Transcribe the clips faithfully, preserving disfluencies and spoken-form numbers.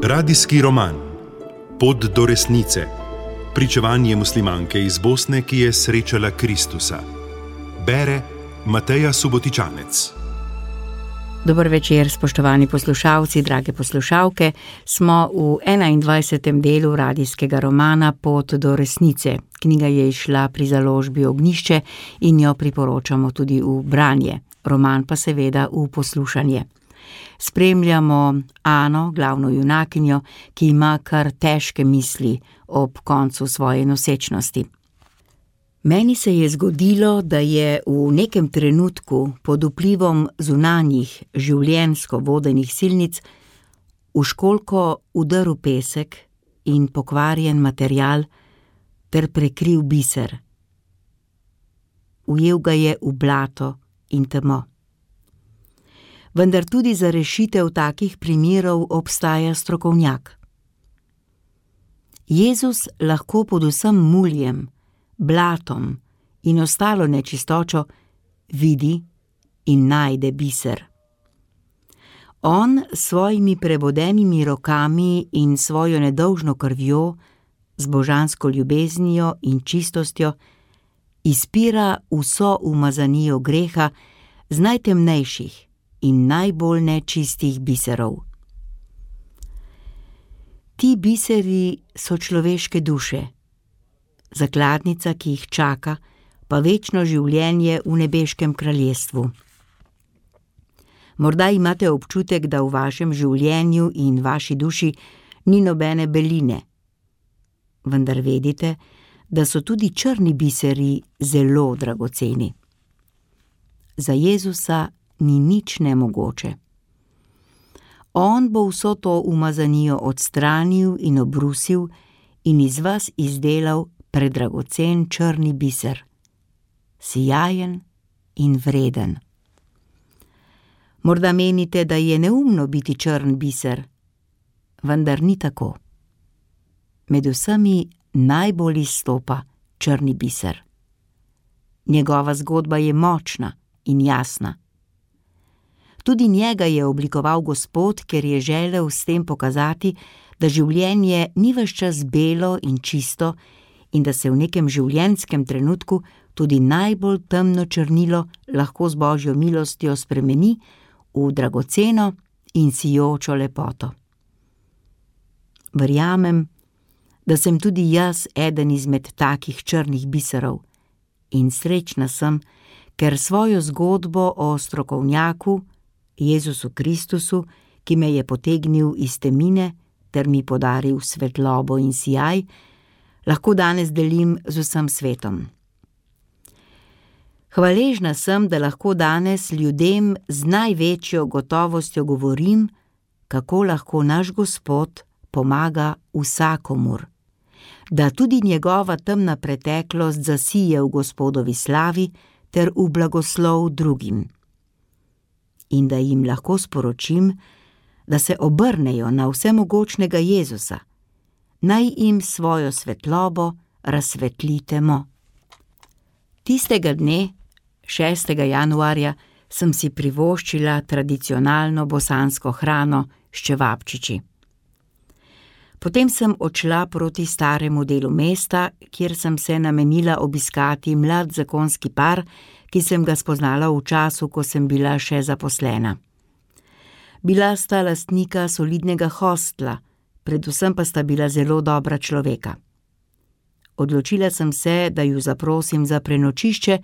Radijski roman Pot do resnice. Pričevanje muslimanke iz Bosne, ki je srečala Kristusa. Bere Mateja Subotičanec. Dober večer, spoštovani poslušalci, drage poslušalke. Smo v enaindvajsetem delu radijskega romana Pot do resnice. Knjiga je izšla pri založbi Ognjišče in jo priporočamo tudi v branje. Roman pa seveda v poslušanje. Spremljamo Ano, glavno junakinjo, ki ima kar težke misli ob koncu svoje nosečnosti. Meni se je zgodilo, da je v nekem trenutku pod vplivom zunanjih življenjsko vodenih silnic v školjko udrl pesek in pokvarjen material ter prekril biser. Ujel ga je v blato in temo. Vendar tudi za rešitev takih primerov obstaja strokovnjak. Jezus lahko pod vsem muljem, blatom in ostalo nečistočo vidi in najde biser. On s svojimi prebodenimi rokami in svojo nedolžno krvjo, z božansko ljubeznijo in čistostjo, izpira vso umazanijo greha z najtemnejših in najbolj nečistih biserov. Ti biseri so človeške duše, zakladnica, ki jih čaka, pa večno življenje v nebeškem kraljestvu. Morda imate občutek, da v vašem življenju in vaši duši ni nobene beline, vendar vedite, da so tudi črni biseri zelo dragoceni. Za Jezusa ni nič nemogoče. On bo vso to umazanijo odstranil in obrusil in iz vas izdelal predragocen črni biser, sijajen in vreden. Morda menite, da je neumno biti črn biser, vendar ni tako. Med vsemi najbolj izstopa črni biser. Njegova zgodba je močna in jasna. Tudi njega je oblikoval Gospod, ker je želel s tem pokazati, da življenje ni ves čas belo in čisto in da se v nekem življenjskem trenutku tudi najbolj temno črnilo lahko z Božjo milostjo spremeni v dragoceno in sijočo lepoto. Verjamem, da sem tudi jaz eden izmed takih črnih biserov in srečna sem, ker svojo zgodbo o strokovnjaku, Jezusu Kristusu, ki me je potegnil iz temine ter mi podaril svetlobo in sijaj, lahko danes delim z vsem svetom. Hvaležna sem, da lahko danes ljudem z največjo gotovostjo govorim, kako lahko naš Gospod pomaga vsakomur, da tudi njegova temna preteklost zasije v Gospodovi slavi ter v blagoslov drugim. In da jim lahko sporočim, da se obrnejo na vsemogočnega Jezusa, naj jim svojo svetlobo razsvetli temo. Tistega dne, šestega januarja, sem si privoščila tradicionalno bosansko hrano s čevapčiči. Potem sem odšla proti staremu delu mesta, kjer sem se namenila obiskati mlad zakonski par, ki sem ga spoznala v času, ko sem bila še zaposlena. Bila sta lastnika solidnega hostla, predvsem pa sta bila zelo dobra človeka. Odločila sem se, da ju zaprosim za prenočišče,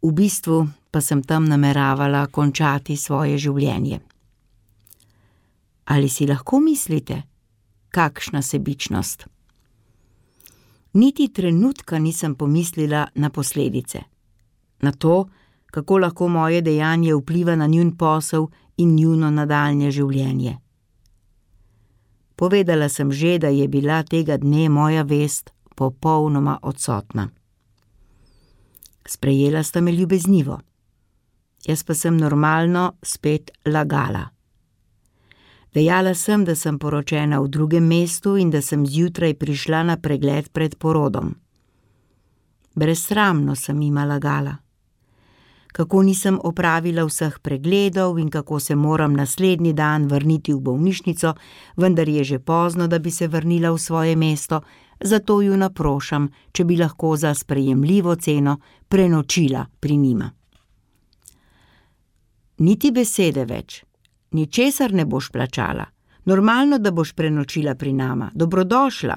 v bistvu pa sem tam nameravala končati svoje življenje. Ali si lahko mislite, kakšna sebičnost? Niti trenutka nisem pomislila na posledice, na to, kako lahko moje dejanje vpliva na njun posel in njuno nadaljnje življenje. Povedala sem že, da je bila tega dne moja vest popolnoma odsotna. Sprejela sta me ljubeznivo, jaz pa sem normalno spet lagala. Dejala sem, da sem poročena v drugem mestu in da sem zjutraj prišla na pregled pred porodom. Brezsramno sem jima lagala. kako nisem opravila vseh pregledov in kako se moram naslednji dan vrniti v bolnišnico, vendar je že pozno, da bi se vrnila v svoje mesto, zato ju naprošam, če bi lahko za sprejemljivo ceno prenočila pri njima. Niti besede več, ničesar ne boš plačala, normalno, da boš prenočila pri nama, dobrodošla,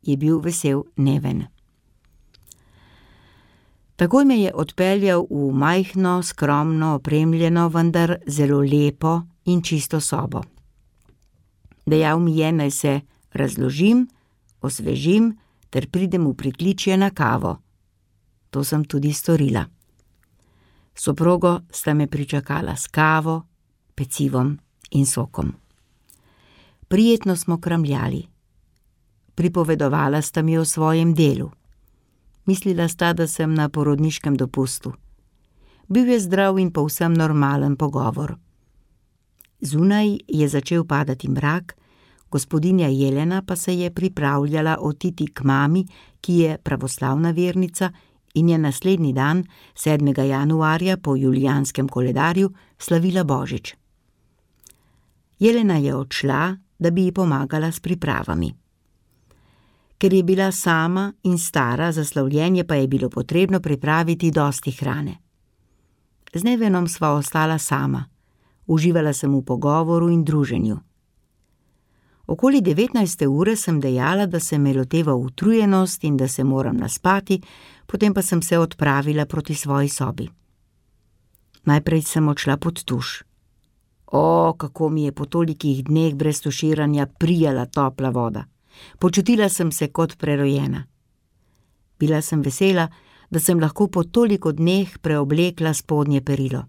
je bil vesel Neven. Takoj me je odpeljal v majhno, skromno, opremljeno, vendar zelo lepo in čisto sobo. Dejal mi je, naj se razložim, osvežim ter pridem v pritličje na kavo. To sem tudi storila. Soprogo sta me pričakala s kavo, pecivom in sokom. Prijetno smo kramljali. Pripovedovala sta mi o svojem delu. Mislila sta, da sem na porodniškem dopustu. Bil je zdrav in povsem normalen pogovor. Zunaj je začel padati mrak, gospodinja Jelena pa se je pripravljala oditi k mami, ki je pravoslavna vernica in je naslednji dan, sedmega januarja po julijanskem koledarju, slavila Božič. Jelena je odšla, da bi ji pomagala s pripravami. Ker je bila sama in stara, za slavljenje pa je bilo potrebno pripraviti dosti hrane. Z Nevenom sva ostala sama, uživala sem v pogovoru in druženju. Okoli devetnajste ure sem dejala, da se me loteva utrujenost in da se moram naspati, potem pa sem se odpravila proti svoji sobi. Najprej sem odšla pod tuš. O, kako mi je po tolikih dneh brez tuširanja prijala topla voda. Počutila sem se kot prerojena. Bila sem vesela, da sem lahko po toliko dneh preoblekla spodnje perilo.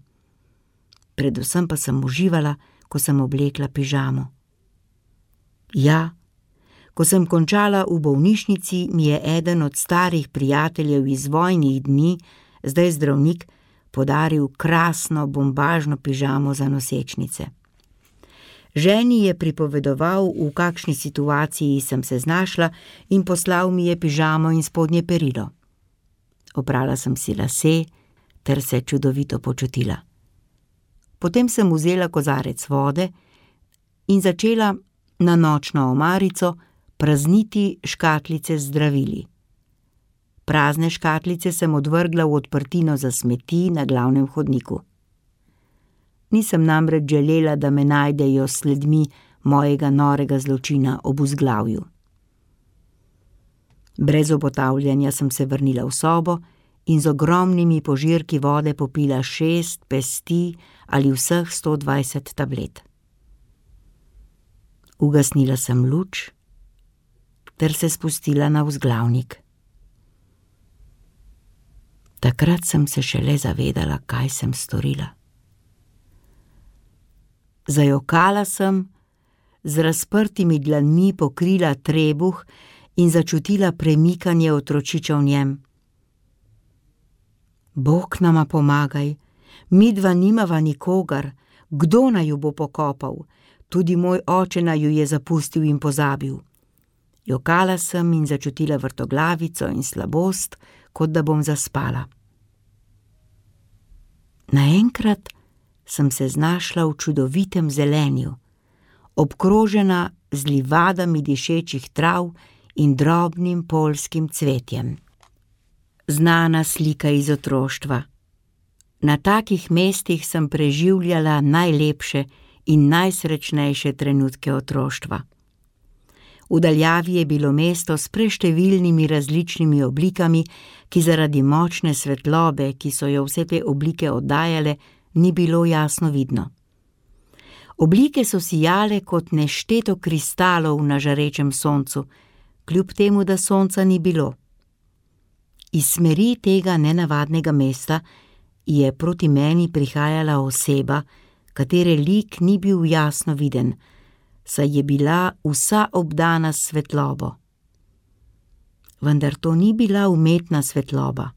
Predvsem pa sem uživala, ko sem oblekla pižamo. Ja, ko sem končala v bolnišnici, mi je eden od starih prijateljev iz vojnih dni, zdaj zdravnik, podaril krasno bombažno pižamo za nosečnice. Ženi je pripovedoval, v kakšni situaciji sem se znašla, in poslal mi je pižamo in spodnje perilo. Oprala sem si lase ter se čudovito počutila. Potem sem vzela kozarec vode in začela na nočno omarico prazniti škatlice z zdravili. Prazne škatlice sem odvrgla v odprtino za smeti na glavnem hodniku. Nisem namreč želela, da me najdejo sledmi mojega norega zločina ob vzglavju. Brez obotavljanja sem se vrnila v sobo in z ogromnimi požirki vode popila šest pesti ali vseh sto dvajset tablet. Ugasnila sem luč ter se spustila na vzglavnik. Takrat sem se šele zavedala, kaj sem storila. Zajokala sem, z razprtimi dlanmi pokrila trebuh in začutila premikanje otročiča v njem. Bog nama pomagaj, midva nimava nikogar, kdo naju bo pokopal, tudi moj oče naju je zapustil in pozabil. Jokala sem in začutila vrtoglavico in slabost, kot da bom zaspala. Naenkrat sem se znašla v čudovitem zelenju, obkrožena z livadami dišečih trav in drobnim poljskim cvetjem. Znana slika iz otroštva. Na takih mestih sem preživljala najlepše in najsrečnejše trenutke otroštva. V daljavi je bilo mesto s preštevilnimi različnimi oblikami, ki zaradi močne svetlobe, ki so jo vse te oblike oddajale, ni bilo jasno vidno. Oblike so sijale kot nešteto kristalov na žarečem soncu, kljub temu, da sonca ni bilo. Iz smeri tega nenavadnega mesta je proti meni prihajala oseba, katere lik ni bil jasno viden, saj je bila vsa obdana s svetlobo. Vendar to ni bila umetna svetloba.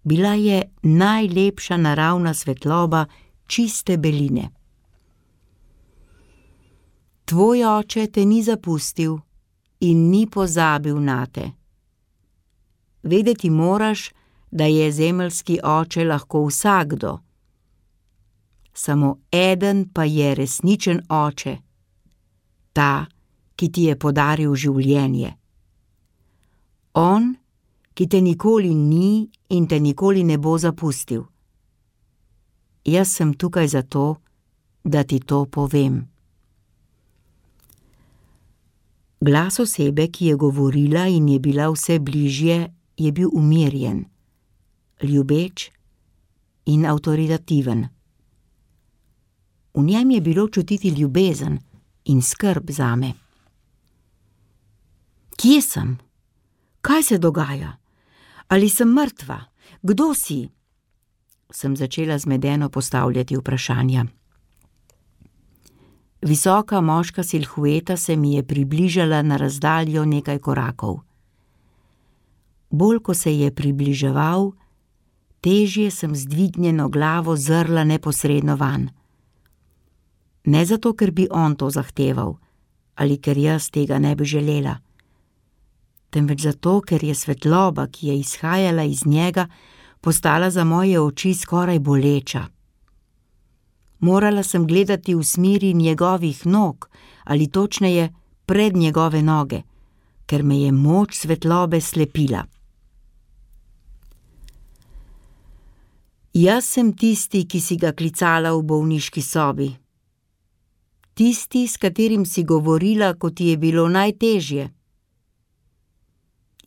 Bila je najlepša naravna svetloba čiste beline. Tvoj oče te ni zapustil in ni pozabil nate. Vedeti moraš, da je zemeljski oče lahko vsakdo. Samo eden pa je resničen oče, ta, ki ti je podaril življenje. On, ki te nikoli ni in te nikoli ne bo zapustil. Jaz sem tukaj zato, da ti to povem. Glas osebe, ki je govorila in je bila vse bližje, je bil umirjen, ljubeč in avtoritativen. V njem je bilo čutiti ljubezen in skrb zame. Kje sem? Kaj se dogaja? Ali sem mrtva? Kdo si? Sem začela zmedeno postavljati vprašanja. Visoka moška silhueta se mi je približala na razdaljo nekaj korakov. Bolj ko se je približeval, težje sem z dvignjeno glavo zrla neposredno vanj. Ne zato, ker bi on to zahteval, ali ker jaz tega ne bi želela, temveč zato, ker je svetloba, ki je izhajala iz njega, postala za moje oči skoraj boleča. Morala sem gledati v smeri njegovih nog, ali točneje pred njegove noge, ker me je moč svetlobe slepila. Jaz sem tisti, ki si ga klicala v bolniški sobi. Tisti, s katerim si govorila, ko ti je bilo najtežje.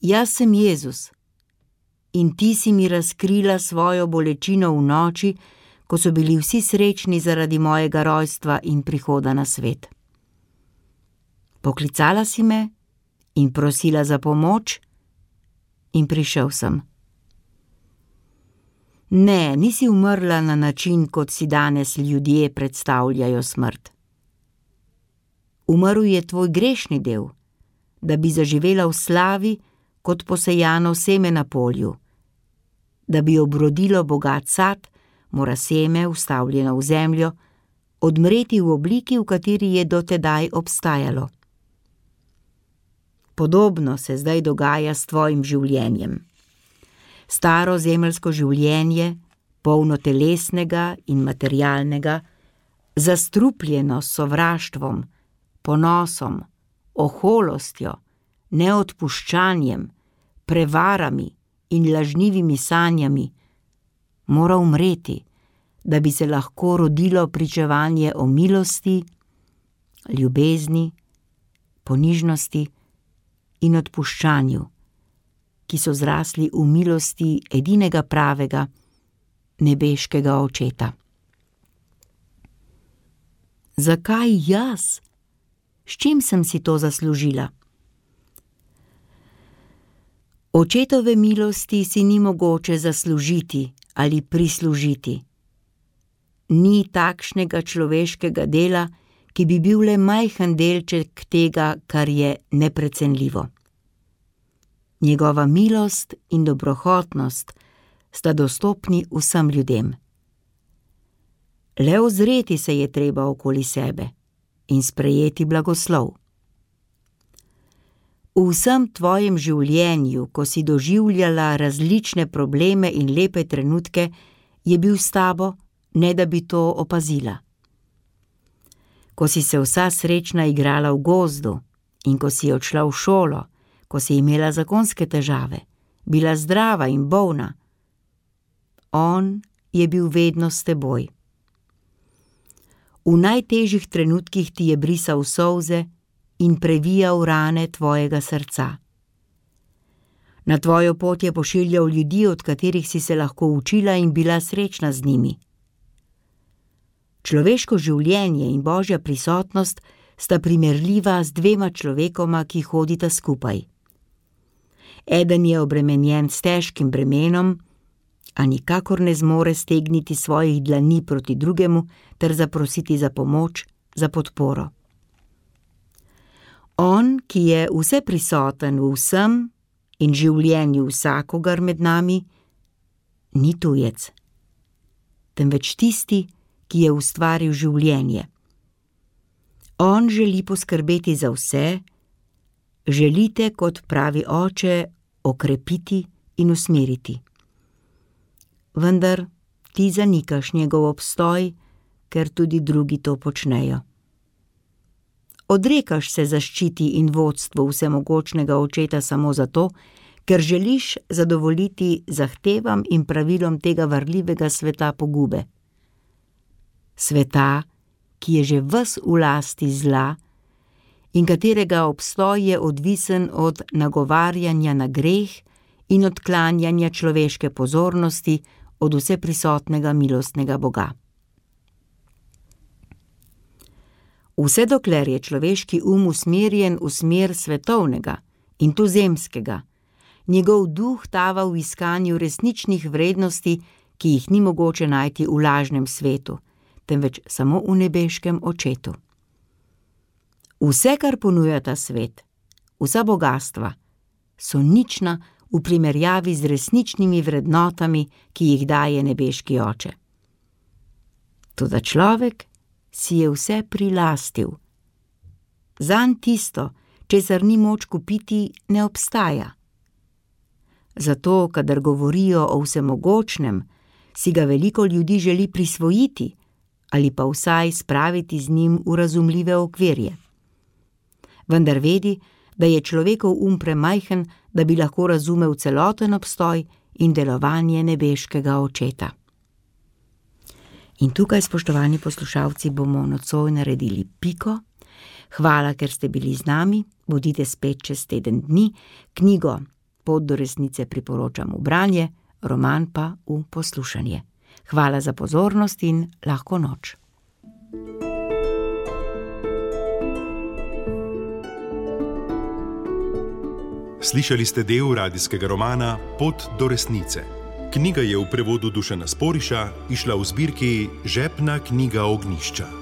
Jaz sem Jezus in ti si mi razkrila svojo bolečino v noči, ko so bili vsi srečni zaradi mojega rojstva in prihoda na svet. Poklicala si me in prosila za pomoč in prišel sem. Ne, nisi umrla na način, kot si danes ljudje predstavljajo smrt. Umrl je tvoj grešni del, da bi zaživela v slavi kot posejano seme na polju. Da bi obrodilo bogat sad, mora seme, vstavljeno v zemljo, odmreti v obliki, v kateri je dotedaj obstajalo. Podobno se zdaj dogaja s tvojim življenjem. Staro zemeljsko življenje, polno telesnega in materialnega, zastrupljeno s sovraštvom, ponosom, oholostjo, neodpuščanjem, prevarami in lažnivimi sanjami, mora umreti, da bi se lahko rodilo pričevanje o milosti, ljubezni, ponižnosti in odpuščanju, ki so zrasli v milosti edinega pravega, nebeškega očeta. Zakaj jaz? S čim sem si to zaslužila? Očetove milosti si ni mogoče zaslužiti ali prislužiti. Ni takšnega človeškega dela, ki bi bil le majhen delček tega, kar je neprecenljivo. Njegova milost in dobrohotnost sta dostopni vsem ljudem. Le ozreti se je treba okoli sebe in sprejeti blagoslov. V vsem tvojem življenju, ko si doživljala različne probleme in lepe trenutke, je bil s tabo, ne da bi to opazila. Ko si se vsa srečna igrala v gozdu in ko si odšla v šolo, ko si imela zakonske težave, bila zdrava in bolna, on je bil vedno s teboj. V najtežjih trenutkih ti je brisal solze in previjal rane tvojega srca. Na tvojo pot je pošiljal ljudi, od katerih si se lahko učila in bila srečna z njimi. Človeško življenje in Božja prisotnost sta primerljiva z dvema človekoma, ki hodita skupaj. Eden je obremenjen s težkim bremenom, a nikakor ne zmore stegniti svojih dlani proti drugemu ter zaprositi za pomoč, za podporo. On, ki je vseprisoten v vsem in življenju vsakogar med nami, ni tujec, temveč tisti, ki je ustvaril življenje. On želi poskrbeti za vse, želite, kot pravi oče, okrepiti in usmeriti. vendar ti zanikaš njegov obstoj, ker tudi drugi to počnejo. Odrekaš se zaščiti in vodstvu vsemogočnega očeta samo zato, ker želiš zadovoljiti zahtevam in pravilom tega varljivega sveta pogube. Sveta, ki je že ves v lasti zla in katerega obstoj je odvisen od nagovarjanja na greh in odklanjanja človeške pozornosti od vseprisotnega milostnega Boga. Vse dokler je človeški um usmerjen v smer svetovnega in tuzemskega, njegov duh tava v iskanju resničnih vrednosti, ki jih ni mogoče najti v lažnem svetu, temveč samo v nebeškem očetu. Vse, kar ponuja ta svet, vsa bogastva, so nična v primerjavi z resničnimi vrednotami, ki jih daje nebeški oče. Toda človek si je vse prilastil. Zanj tisto, česar ni moč kupiti, ne obstaja. Zato, kadar govorijo o vsemogočnem, si ga veliko ljudi želi prisvojiti ali pa vsaj spraviti z njim v razumljive okvirje. Vendar vedi, da je človekov um premajhen, da bi lahko razumel celoten obstoj in delovanje nebeškega očeta. In tukaj, spoštovani poslušalci, bomo nocoj naredili piko. Hvala, ker ste bili z nami, bodite spet čez teden dni. Knjigo Pot do resnice priporočam v branje, roman pa v poslušanje. Hvala za pozornost in lahko noč. Slišali ste del radijskega romana Pot do resnice. Knjiga je v prevodu Dušana Sporiša izšla v zbirki Žepna knjiga Ognjišča.